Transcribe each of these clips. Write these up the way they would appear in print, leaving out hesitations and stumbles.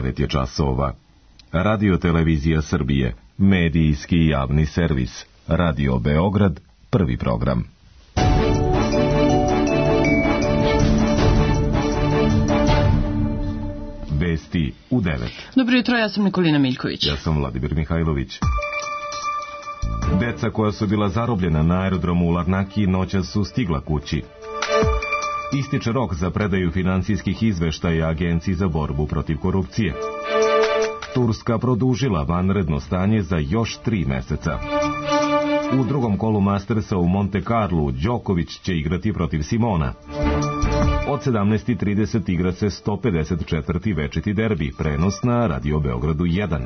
9 je časova. Radio Televizija Srbije, medijski javni servis. Radio Beograd, prvi program. Vesti u 9. Dobro jutro, ja sam Nikolina Miljković. Ja sam Vladimir Mihajlović. Deca koja su bila zarobljena na aerodromu u Larnaki noćas su stigla kući. Ističe rok za predaju finansijskih izveštaja Agenciji za borbu protiv korupcije. Turska produžila vanredno stanje za još 3 meseca. U drugom kolu Mastersa u Monte Carlu Đoković će igrati protiv Simona. Od 17:30 igra se 154. večiti derbi, prenos na Radio Beogradu 1.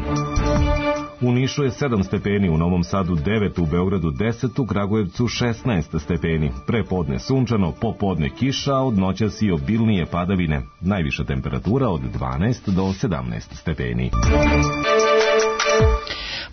U Nišu je 7 stepeni, u Novom Sadu 9, u Beogradu 10, u Kragujevcu 16 stepeni. Prepodne sunčano, popodne kiša, od noćas i obilnije padavine. Najviša temperatura od 12 do 17 stepeni.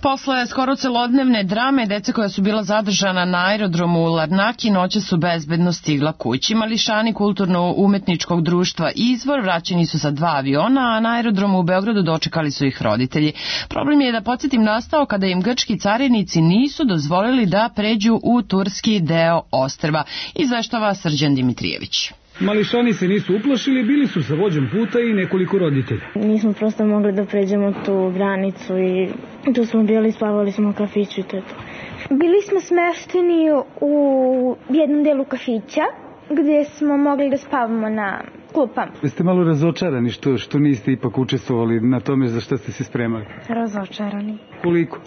Posle skoro celodnevne drame, deca koja su bila zadržana na aerodromu u Larnaki noće su bezbedno stigla kući. Mališani kulturno-umetničkog društva Izvor vraćeni su sa 2 aviona, a na aerodromu u Beogradu dočekali su ih roditelji. Problem je, da podsjetim, nastao kada im grčki carinici nisu dozvolili da pređu u turski deo ostrva. Izveštava Srđan Dimitrijević. Mališani se nisu uplašili, bili su sa vođom puta i nekoliko roditelja. Nismo prosto mogli da pređemo tu granicu i tu smo bili, spavali smo u kafiću i to je to. Bili smo smešteni u jednom delu kafića gdje smo mogli da spavamo na klupama. Jeste malo razočarani što niste ipak učestvovali na tome za što ste se spremali? Razočarani. Koliko?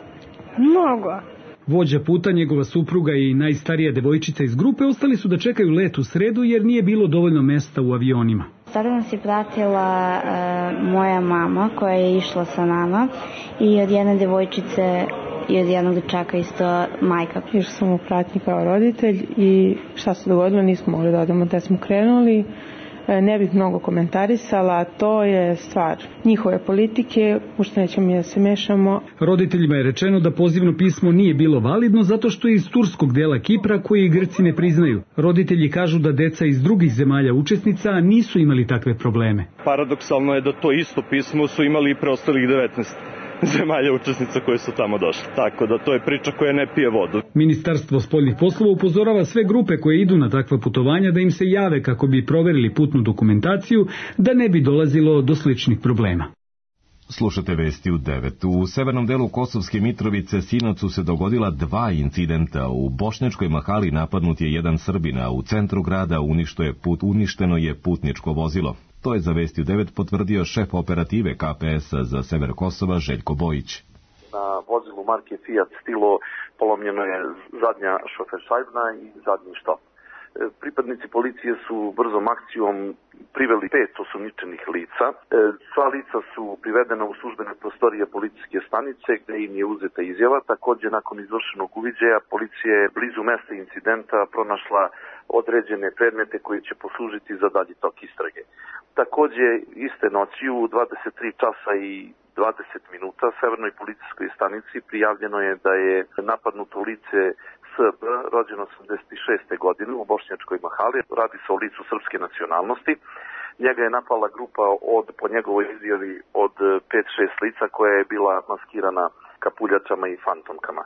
Mnogo. Vođa puta, njegova supruga i najstarija devojčica iz grupe ostali su da čekaju let u sredu jer nije bilo dovoljno mesta u avionima. Sada nas je pratila moja mama koja je išla sa nama i od jedne devojčice i od jednog dečaka isto majka. Išla sam u pratnji kao roditelj i šta se dogodilo, nismo mogli da odemo gde smo krenuli. Ne bih mnogo komentarisala, to je stvar njihove politike, u što nećemo mi da se mešamo. Roditeljima je rečeno da pozivno pismo nije bilo validno zato što je iz turskog dela Kipra koji Grci ne priznaju. Roditelji kažu da deca iz drugih zemalja učesnica nisu imali takve probleme. Paradoksalno je da to isto pismo su imali i preostalih 19 zemalja učesnica koje su tamo došle. Tako da to je priča koja ne pije vodu. Ministarstvo spoljnih poslova upozorava sve grupe koje idu na takva putovanja da im se jave kako bi proverili putnu dokumentaciju, da ne bi dolazilo do sličnih problema. Slušate vesti u 9. U severnom delu Kosovske Mitrovice sinoć su se dogodila 2 incidenta. U Bošnjačkoj Mahali napadnut je jedan Srbin, a u centru grada uništeno je putničko vozilo. To je za vesti u 9 potvrdio šef operative KPS-a za sever Kosova Željko Bojić. Na vozilu marke Fiat Stilo polomljeno je zadnja šoferšajbna i zadnji štop. Pripadnici policije su brzom akcijom priveli 5 osumnjičenih lica. Sva lica su privedena u službene prostorije policijske stanice gde im je uzeta izjava. Također, nakon izvršenog uviđaja, policija je blizu mesta incidenta pronašla određene predmete koji će poslužiti za dalji tok istrage. Također, iste noći u 23 časa i 20 minuta Severnoj policijskoj stanici prijavljeno je da je napadnuto lice SB, rođeno 86. godine u Bošnjačkoj Mahali. Radi se o licu srpske nacionalnosti. Njega je napala grupa po njegovoj izjavi od 5-6 lica koja je bila maskirana kapuljačama i fantomkama.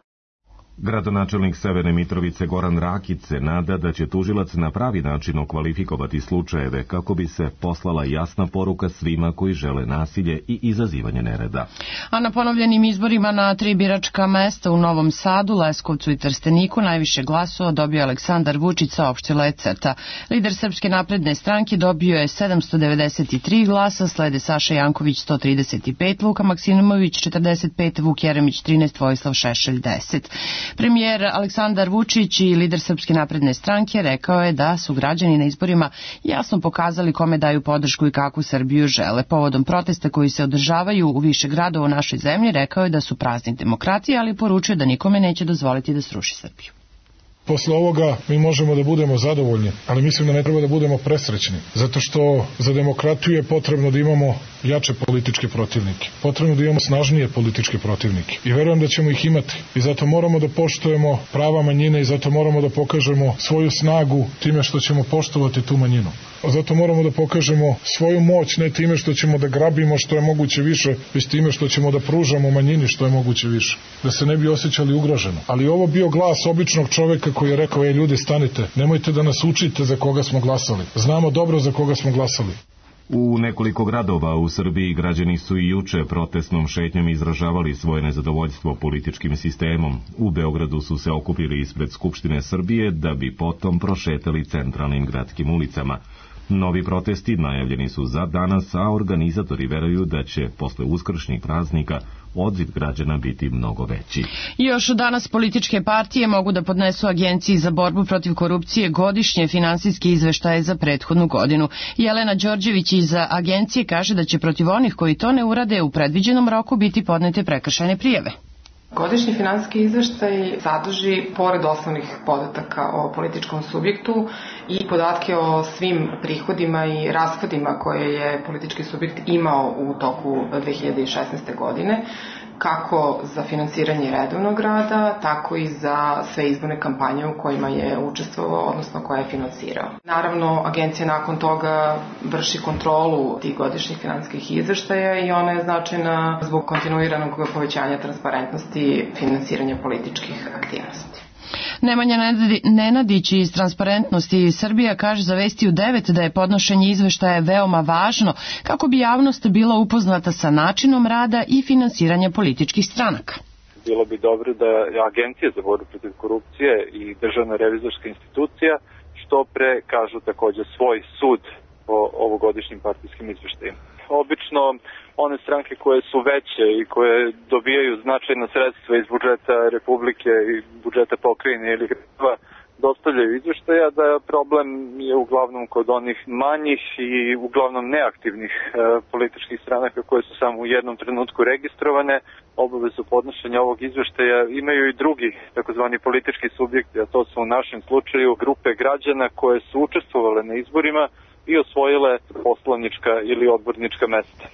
Gradonačelnik Severne Mitrovice Goran Rakić se nada da će tužilac na pravi način okvalifikovati slučajeve kako bi se poslala jasna poruka svima koji žele nasilje i izazivanje nereda. A na ponovljenim izborima na 3 biračka mesta u Novom Sadu, Leskovcu i Trsteniku najviše glasova dobio Aleksandar Vučić, saopštila je CETA. Lider Srpske napredne stranke dobio je 793 glasa, slede Saša Janković 135, Luka Maksimović 45, Vuk Jeremić 13, Vojislav Šešelj 10. Premijer Aleksandar Vučić i lider Srpske napredne stranke rekao je da su građani na izborima jasno pokazali kome daju podršku i kakvu Srbiju žele. Povodom protesta koji se održavaju u više gradova u našoj zemlji, rekao je da su praznik demokratije, ali poručuje da nikome neće dozvoliti da sruši Srbiju. Posle ovoga mi možemo da budemo zadovoljni, ali mislim da ne treba da budemo presrećni, zato što za demokratiju je potrebno da imamo jače političke protivnike, potrebno da imamo snažnije političke protivnike i verujem da ćemo ih imati i zato moramo da poštujemo prava manjine i zato moramo da pokažemo svoju snagu time što ćemo poštovati tu manjinu. Zato moramo da pokažemo svoju moć, ne time što ćemo da grabimo što je moguće više, već time što ćemo da pružamo manjini što je moguće više. Da se ne bi osjećali ugroženo. Ali ovo bio glas običnog čoveka koji je rekao: ljudi, stanite, nemojte da nas učite za koga smo glasali. Znamo dobro za koga smo glasali. U nekoliko gradova u Srbiji građani su i juče protestnom šetnjom izražavali svoje nezadovoljstvo političkim sistemom. U Beogradu su se okupili ispred Skupštine Srbije da bi potom prošetali centralnim gradskim ulicama. Novi protesti najavljeni su za danas, a organizatori veruju da će posle uskršnjih praznika odziv građana biti mnogo veći. Još danas političke partije mogu da podnesu Agenciji za borbu protiv korupcije godišnje finansijske izveštaje za prethodnu godinu. Jelena Đorđević iz agencije kaže da će protiv onih koji to ne urade u predviđenom roku biti podnete prekršajne prijave. Godišnji finansijski izveštaj sadrži, pored osnovnih podataka o političkom subjektu, i podatke o svim prihodima i rashodima koje je politički subjekt imao u toku 2016. godine, kako za finansiranje redovnog rada, tako i za sve izborne kampanje u kojima je učestvovao, odnosno koje je finansirao. Naravno, agencija nakon toga vrši kontrolu tih godišnjih finansijskih izveštaja i ona je značajna zbog kontinuiranog povećanja transparentnosti finansiranja političkih aktivnosti. Nemanja Nenadić iz Transparentnosti Srbija kaže za Vesti u 9 da je podnošenje izveštaja veoma važno kako bi javnost bila upoznata sa načinom rada i finansiranja političkih stranaka. Bilo bi dobro da Agencija za borbu protiv korupcije i Državna revizorska institucija što pre kažu takođe svoj sud o ovogodišnjim partijskim izveštajima. Obično one stranke koje su veće i koje dobijaju značajna sredstva iz budžeta Republike i budžeta pokrajine ili gradova dostavljaju izveštaja, da problem je uglavnom kod onih manjih i uglavnom neaktivnih političkih stranaka koje su samo u jednom trenutku registrovane. Obavezu podnošenja ovog izveštaja imaju i drugi takozvani politički subjekti, a to su u našem slučaju grupe građana koje su učestvovale na izborima i osvojile poslanička ili odbornička mesta.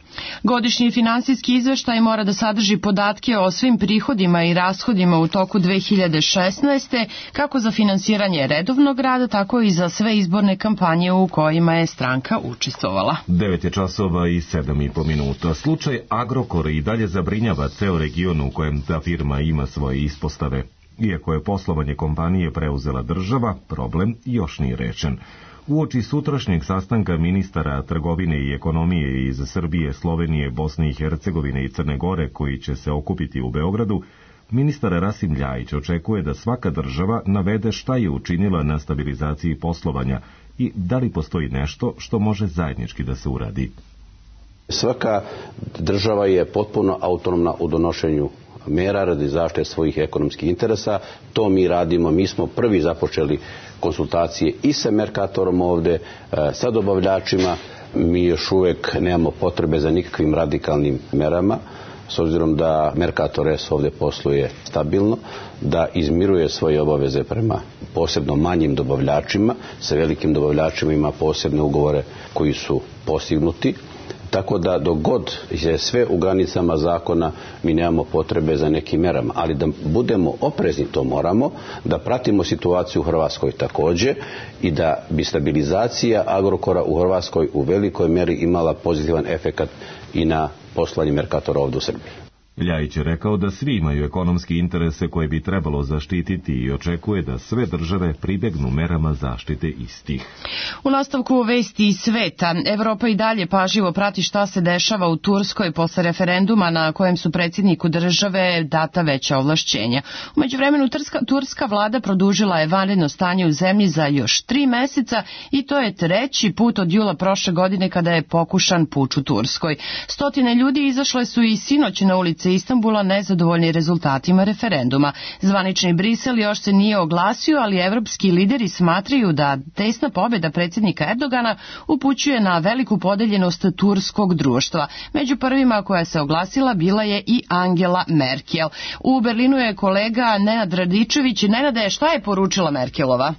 Godišnji finansijski izveštaj mora da sadrži podatke o svim prihodima i rashodima u toku 2016. kako za finansiranje redovnog rada, tako i za sve izborne kampanje u kojima je stranka učestvovala. 9 časova i 7,5 minuta. Slučaj Agrokora i dalje zabrinjava ceo region u kojem ta firma ima svoje ispostave. Iako je poslovanje kompanije preuzela država, problem još nije rešen. Uoči sutrašnjeg sastanka ministara trgovine i ekonomije iz Srbije, Slovenije, Bosne i Hercegovine i Crne Gore, koji će se okupiti u Beogradu, ministar Rasim Ljajić očekuje da svaka država navede šta je učinila na stabilizaciji poslovanja i da li postoji nešto što može zajednički da se uradi. Svaka država je potpuno autonomna u donošenju mera radi zaštite svojih ekonomskih interesa. To mi radimo, mi smo prvi započeli konsultacije i sa Mercatorom ovde, sa dobavljačima. Mi još uvek nemamo potrebe za nikakvim radikalnim merama, s obzirom da Mercator S ovde posluje stabilno, da izmiruje svoje obaveze prema posebno manjim dobavljačima, sa velikim dobavljačima ima posebne ugovore koji su postignuti. Tako da dok god je sve u granicama zakona, mi nemamo potrebe za nekim merama. Ali da budemo oprezni, to moramo, da pratimo situaciju u Hrvatskoj takođe i da bi stabilizacija Agrokora u Hrvatskoj u velikoj meri imala pozitivan efekat i na poslovanje Mercatora ovde u Srbiji. Ljajić je rekao da svi imaju ekonomski interese koje bi trebalo zaštititi i očekuje da sve države pribegnu merama zaštite istih. U nastavku Vesti iz sveta, Evropa i dalje pažljivo prati šta se dešava u Turskoj posle referenduma na kojem su predsjedniku države data veća ovlašćenja. U međuvremenu turska vlada produžila je vanredno stanje u zemlji za još 3 meseca i to je 3. put od jula prošle godine kada je pokušan puč u Turskoj. Stotine ljudi izašle su i sinoć na ulice Istanbula nezadovoljni rezultatima referenduma. Zvanični Brisel još se nije oglasio, ali evropski lideri smatraju da tesna pobjeda predsjednika Erdogana upućuje na veliku podeljenost turskog društva. Među prvima koja se oglasila bila je i Angela Merkel. U Berlinu je kolega Nenad Radičević. Nenade, šta je poručila Merkelova?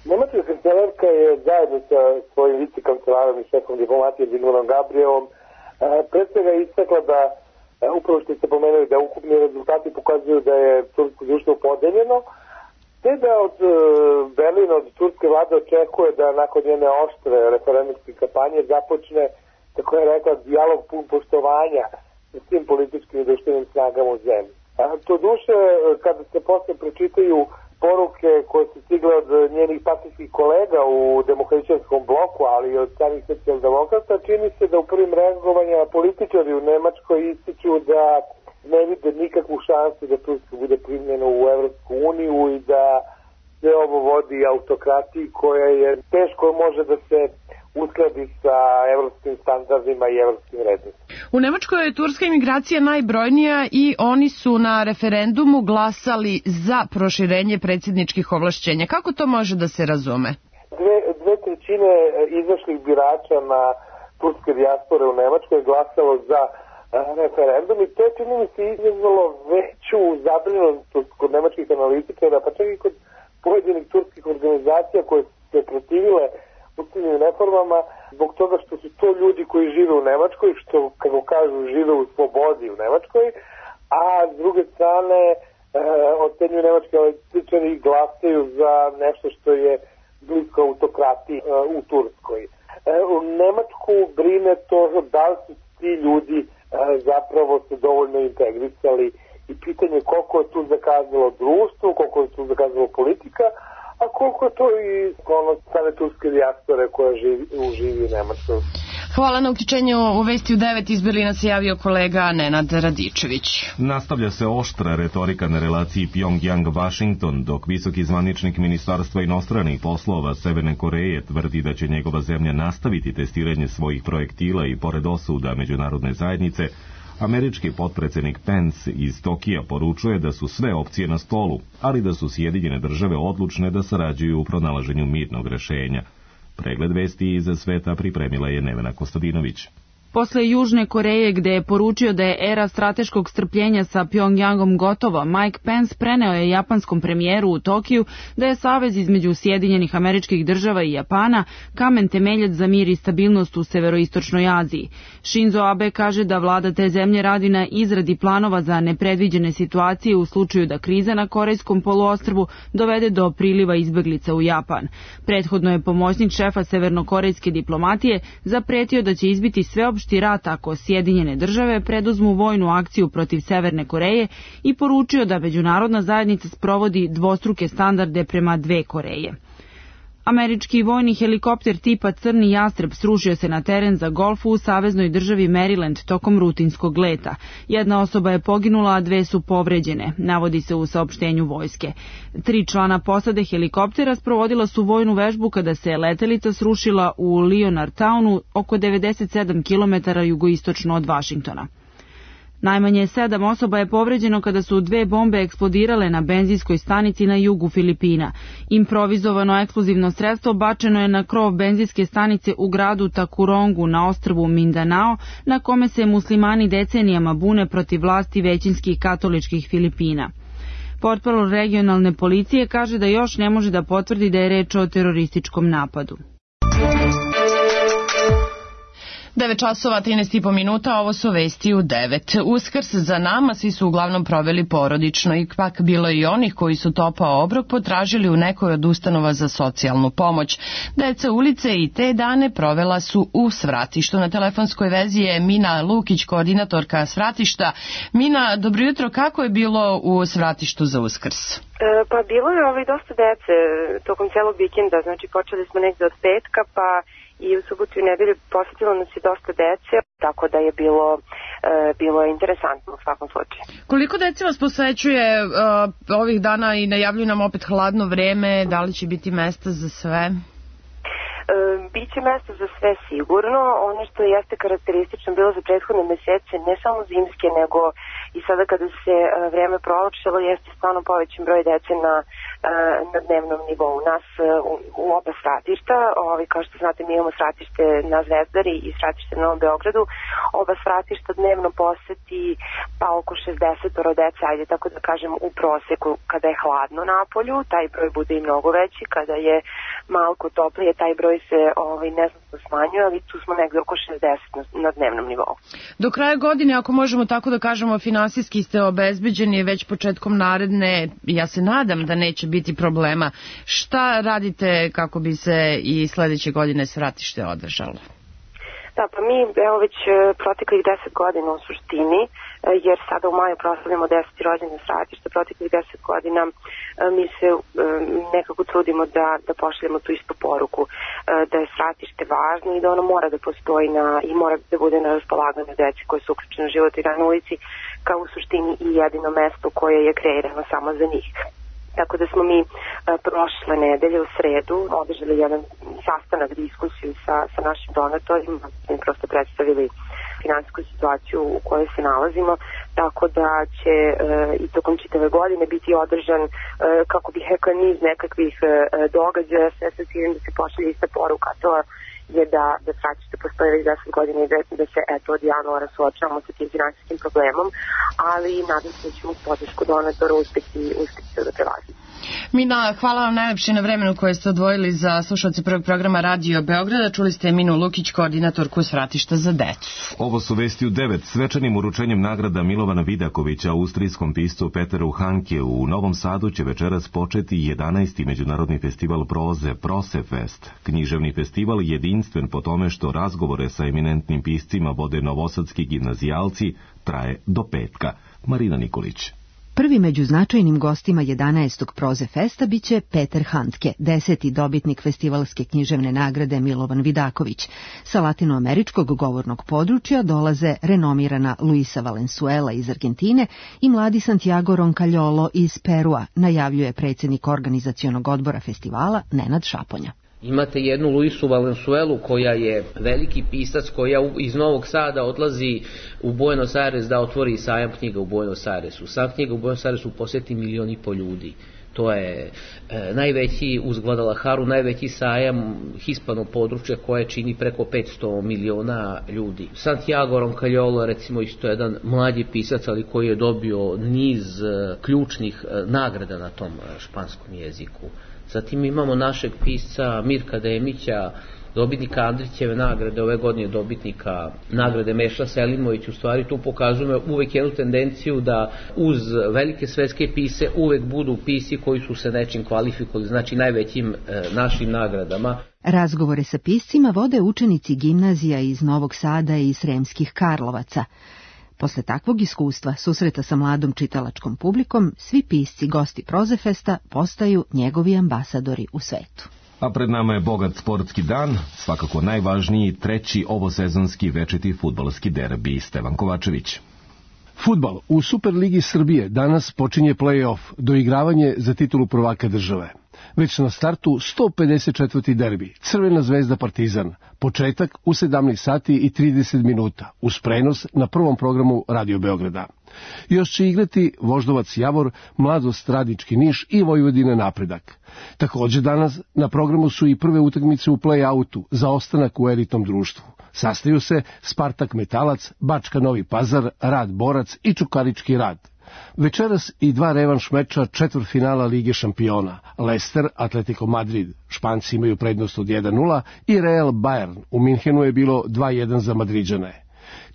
Nemačka kancelarka je zajedno sa svojim vicekancelarom i šefom diplomatije Zigmundom Gabrielom pre svega istakla da upravo što ste pomenuli da ukupni rezultati pokazuju da je tursko društvo podeljeno Ne da od Berlina, od turske vlade očekuje da nakon njene oštre referendumske kampanje započne, tako je rekla, dijalog pun poštovanja sa svim političkim i društvenim snagama u zemlji. To duše, kada se posle pročitaju poruke koje su stigle od njenih partijskih kolega u demohrišćanskom bloku, ali i od samih socijaldemokrata, čini se da u prvim reagovanjima političari u Nemačkoj ističu da ne vide nikakvu šansu da Turska bude primljena u Evropsku uniju i da sve ovo vodi autokratiji koja je teško može da se uskladi sa evropskim standardima i evropskim redima. U Nemačkoj je turska imigracija najbrojnija i oni su na referendumu glasali za proširenje predsjedničkih ovlašćenja. Kako to može da se razume? Dve trećine izašlih birača na turske dijaspore u Nemačkoj je glasalo za referendum i to je, čini mi se, izazvalo veću zabrinutost kod nemačkih analitičara, pa čak i kod pojedinih turskih organizacija koje su se protivile ustavnim reformama zbog toga što su to ljudi koji žive u Nemačkoj, što, kako kažu, žive u slobodi u Nemačkoj, a s druge strane ocenjuju nemački analitičari i glasaju za nešto što je blisko autokratiji u Turskoj. U Nemačku brine to da li su ti ljudi zapravo se dovoljno integrisali i pitanje koliko je tu zakazalo društvo, koliko je tu zakazalo politika, a koliko je to i same turske dijaspore koja živi u Nemačkoj. Hvala na uključenju u Vesti u 9. Iz Berlina se javio kolega Nenad Radičević. Nastavlja se oštra retorika na relaciji Pyongyang-Washington, dok visoki zvaničnik Ministarstva inostranih poslova Severne Koreje tvrdi da će njegova zemlja nastaviti testiranje svojih projektila i pored osuda međunarodne zajednice. Američki potpredsjednik Pence iz Tokija poručuje da su sve opcije na stolu, ali da su Sjedinjene države odlučne da sarađuju u pronalaženju mirnog rešenja. Pregled vesti iz sveta pripremila je Nevena Kostadinović. Posle Južne Koreje, gde je poručio da je era strateškog strpljenja sa Pyongyangom gotova, Mike Pence preneo je japanskom premijeru u Tokiju da je savez između Sjedinjenih Američkih Država i Japana kamen temeljac za mir i stabilnost u severoistočnoj Aziji. Shinzo Abe kaže da vlada te zemlje radi na izradi planova za nepredviđene situacije u slučaju da kriza na Korejskom poluostrvu dovede do priliva izbeglica u Japan. Prethodno je pomoćnik šefa severnokorejske diplomatije zapretio da će izbiti sveopšti rat ako Sjedinjene države preduzmu vojnu akciju protiv Severne Koreje i poručio da međunarodna zajednica sprovodi dvostruke standarde prema dve Koreje. Američki vojni helikopter tipa Crni jastreb srušio se na teren za golf u saveznoj državi Maryland tokom rutinskog leta. Jedna osoba je poginula, a dve su povređene, navodi se u saopštenju vojske. 3 člana posade helikoptera sprovodila su vojnu vežbu kada se letelica srušila u Leonardtownu, oko 97 km jugoistočno od Vašingtona. Najmanje 7 osoba je povređeno kada su 2 bombe eksplodirale na benzinskoj stanici na jugu Filipina. Improvizovano eksplozivno sredstvo bačeno je na krov benzinske stanice u gradu Tacurongu na ostrvu Mindanao, na kome se muslimani decenijama bune protiv vlasti većinskih katoličkih Filipina. Portparol regionalne policije kaže da još ne može da potvrdi da je reč o terorističkom napadu. 9 časova, 13,5 minuta, ovo su Vesti u 9. Uskrs za nama, svi su uglavnom proveli porodično, ipak bilo i onih koji su topao obrok potražili u nekoj od ustanova za socijalnu pomoć. Deca ulice i te dane provela su u Svratištu. Na telefonskoj vezi je Mina Lukić, koordinatorka Svratišta. Mina, dobro jutro, kako je bilo u Svratištu za Uskrs? Pa bilo je dosta dece tokom celog vikenda, znači počeli smo negde od petka, pa i u subotu i nedelju posjetilo nas je dosta dece, tako da je bilo interesantno u svakom slučaju. Koliko dece vas posvećuje ovih dana i najavljuju nam opet hladno vreme, da li će biti mesta za sve? Biće mesta za sve sigurno. Ono što jeste karakteristično bilo za prethodne mesece, ne samo zimske, nego i sada kada se vreme prolakšalo, jeste stvarno povećan broj dece na dnevnom nivou. Nas u oba Svratišta, kao što znate, mi imamo Svratište na Zvezdari i Svratište na Novom Beogradu, oba Svratišta dnevno poseti pa oko 60 dece, ajde tako da kažem u proseku. Kada je hladno napolju, taj broj bude i mnogo veći, kada je malko toplije, taj broj broj se neznatno smanjuje, ali tu smo negde oko 60 na dnevnom nivou. Do kraja godine, ako možemo tako da kažemo, finansijski ste obezbeđeni, već početkom naredne, ja se nadam da neće biti problema. Šta radite kako bi se i sledeće godine Svratište održalo? Da, pa mi već proteklih 10 godina u suštini, jer sada u maju proslavljamo 10. rođendan Svratišta, proteklih 10 godina mi se nekako trudimo da pošaljemo tu istu poruku, da je Svratište važno i da ono mora da postoji i mora da bude na raspolaganju deci koje su uključene u život i rad na ulici, kao u suštini i jedino mesto koje je kreirano samo za njih. Tako da smo mi prošle nedelje u sredu održali jedan sastanak, diskusiju sa našim donatorima, mi prosto predstavili finansijsku situaciju u kojoj se nalazimo, tako da će i tokom čitave godine biti održan, kako bih rekao, niz nekakvih događaja, sve sa ciljem da se pošalje ista poruka, to je da Svratište postoji već 10 godina i da se od januara suočavamo sa tim finansijskim problemom, ali nadam se da ćemo podršku donatora uspeti da prelazimo. Mina, hvala vam najlepše na vremenu koje ste odvojili za slušalce prvog programa Radio Beograda. Čuli ste Minu Lukić, koordinatorku Svratišta za decu. Ovo su vesti u 9. Svečanim uručenjem nagrada Milovana Vidakovića austrijskom piscu Peteru Hanke u Novom Sadu će večeras početi 11. međunarodni festival proze Prosefest. Književni festival jedinstven po tome što razgovore sa eminentnim piscima vode novosadski gimnazijalci traje do petka. Marina Nikolić. Prvi među značajnim gostima 11. Proze Festa biće Peter Handke, 10. dobitnik festivalske književne nagrade Milovan Vidaković. Sa latinoameričkog govornog područja dolaze renomirana Luisa Valenzuela iz Argentine i mladi Santiago Roncalolo iz Perua, najavljuje predsjednik organizacionog odbora festivala Nenad Šaponja. Imate jednu Luisu Valenzuelu koja je veliki pisac, koja iz Novog Sada odlazi u Buenos Aires da otvori sajam knjiga u Buenos Airesu. Sajam knjiga u Buenos Airesu posjeti 1,5 miliona ljudi. To je najveći uz Guadalajaru, najveći sajam hispanog područja koje čini preko 500 miliona ljudi. Santiago Roncalolo, recimo, isto jedan mlađi pisac, ali koji je dobio niz ključnih nagrada na tom španskom jeziku. Zatim imamo našeg pisca Mirka Demića, dobitnika Andrićeve nagrade, ove godine dobitnika nagrade Meša Selimović. U stvari tu pokazujemo uvek jednu tendenciju da uz velike svetske pise uvek budu pisci koji su se nečim kvalifikovali, znači najvećim našim nagradama. Razgovore sa piscima vode učenici gimnazija iz Novog Sada i Sremskih Karlovaca. Posle takvog iskustva, susreta sa mladom čitalačkom publikom, svi pisci gosti Prozefesta postaju njegovi ambasadori u svetu. A pred nama je bogat sportski dan, svakako najvažniji treći ovosezonski večiti fudbalski derbi. Stevan Kovačević. Fudbal u Superligi Srbije danas počinje play-off, doigravanje za titulu prvaka države. Već na startu 154. derbi, Crvena zvezda Partizan, početak u 17 sati i 30 minuta, uz prenos na prvom programu Radio Beograda. Još će igrati Voždovac Javor, Mladost Radnički Niš i Vojvodina Napredak. Također danas na programu su i prve utakmice u play-outu za ostanak u elitnom društvu. Sastaju se Spartak Metalac, Bačka Novi Pazar, Rad Borac i Čukarički Rad. Večeras i dva revanš meča četvrtfinala Lige šampiona. Leicester, Atletico Madrid, Španci imaju prednost od 1-0 i Real Bayern. U Minhenu je bilo 2-1 za Madriđane.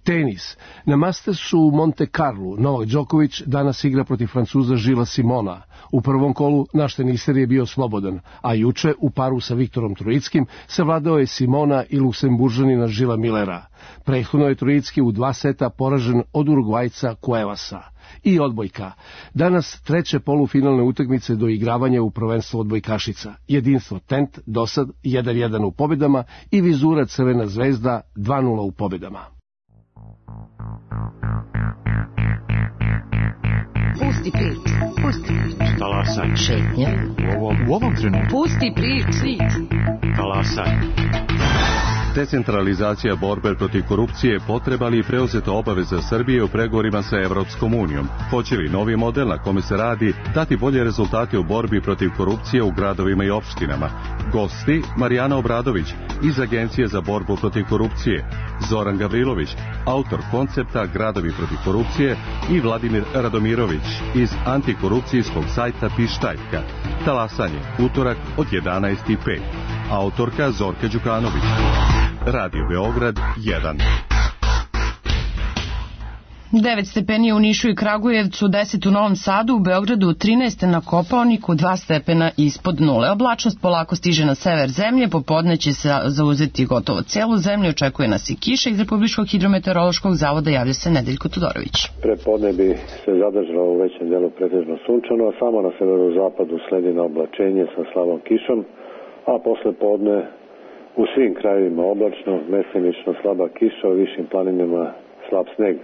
Tenis. Na Mastersu u Monte Carlo Novak Đoković danas igra protiv Francuza Žila Simona. U prvom kolu naš teniser je bio slobodan, a juče u paru sa Viktorom Trojickim savladao je Simona i Luksemburžanina Žila Millera. Prethodno je Trojicki u 2 seta poražen od Urugvajca Cuevasa. I odbojka. Danas treće polufinalne utakmice do igravanja u prvenstvu odbojkašica. Jedinstvo Tent dosad 1-1 u pobjedama i Vizura Crvena zvezda 2-0 u pobjedama. Pusti prič. Talasaj. Šetnja. U ovom trenutku. Pusti prič. Talasaj. Decentralizacija borbe protiv korupcije potreba li preuzeta obaveza Srbije u pregovorima sa Evropskom unijom? Hoće li novi model na kome se radi dati bolje rezultate u borbi protiv korupcije u gradovima i opštinama? Gosti Marijana Obradović iz Agencije za borbu protiv korupcije, Zoran Gavrilović, autor koncepta Gradovi protiv korupcije i Vladimir Radomirović iz antikorupcijskog sajta Pištaljka. Talasanje, utorak od 11:05. Autorka Zorka Đukanović. Radio Beograd 1. 9 stepeni u Nišu i Kragujevcu, 10 u Novom Sadu, u Beogradu 13 na Kopaoniku, 2 stepena ispod nule. Oblačnost polako stiže na sever zemlje, popodne će se zauzeti gotovo celu zemlju, očekuje nas i kiša. Iz Republičkog hidrometeorološkog zavoda javlja se Nedeljko Todorović. Prepodne bi se zadržalo u većem delu pretežno sunčano, a samo na severozapadu sledi na oblačenje sa slabom kišom, a posle podne u svim krajevima oblačno, mestimično slaba kiša, u višim planinama slab sneg.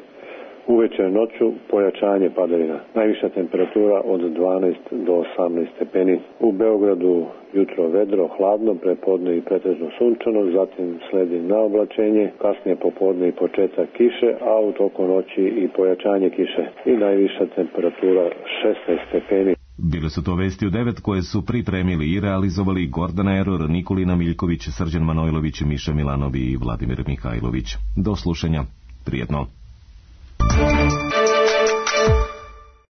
Uveče noću pojačanje padavina. Najviša temperatura od 12 do 18 stepeni. U Beogradu jutro vedro, hladno, prepodne i pretežno sunčano, zatim sledi na oblačenje, kasnije popodne i početak kiše, a u toku noći i pojačanje kiše. I najviša temperatura 16 stepeni. Bile su to vesti u 9 koje su pripremili i realizovali Gordana Eror, Nikolina Miljković, Srđan Manojlović, Miša Milanovi i Vladimir Mihajlović. Do slušanja. Prijetno.